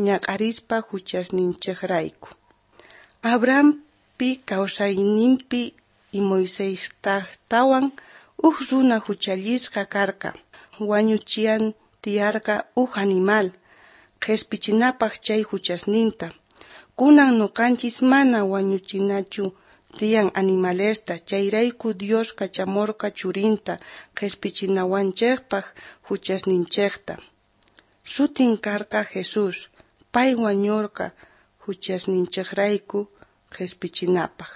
ñak'arispa juchasninchejrayku. Abrahampi kawsaynimpi y Moisestajtawan uj runa juchallisqa karqa, wañuchian tiyarqa uj animal, qhespichinapaj chay juchasninta. Kunan noqanchis mana wañuchinachu tiyan animalesta, chayrayku Dios kachamorqa churinta qhespichinawanchejpaj juchasninchejta. Sutin karqa Jesús, pay wañorqa juchasninchejrayku qhespichinapaj.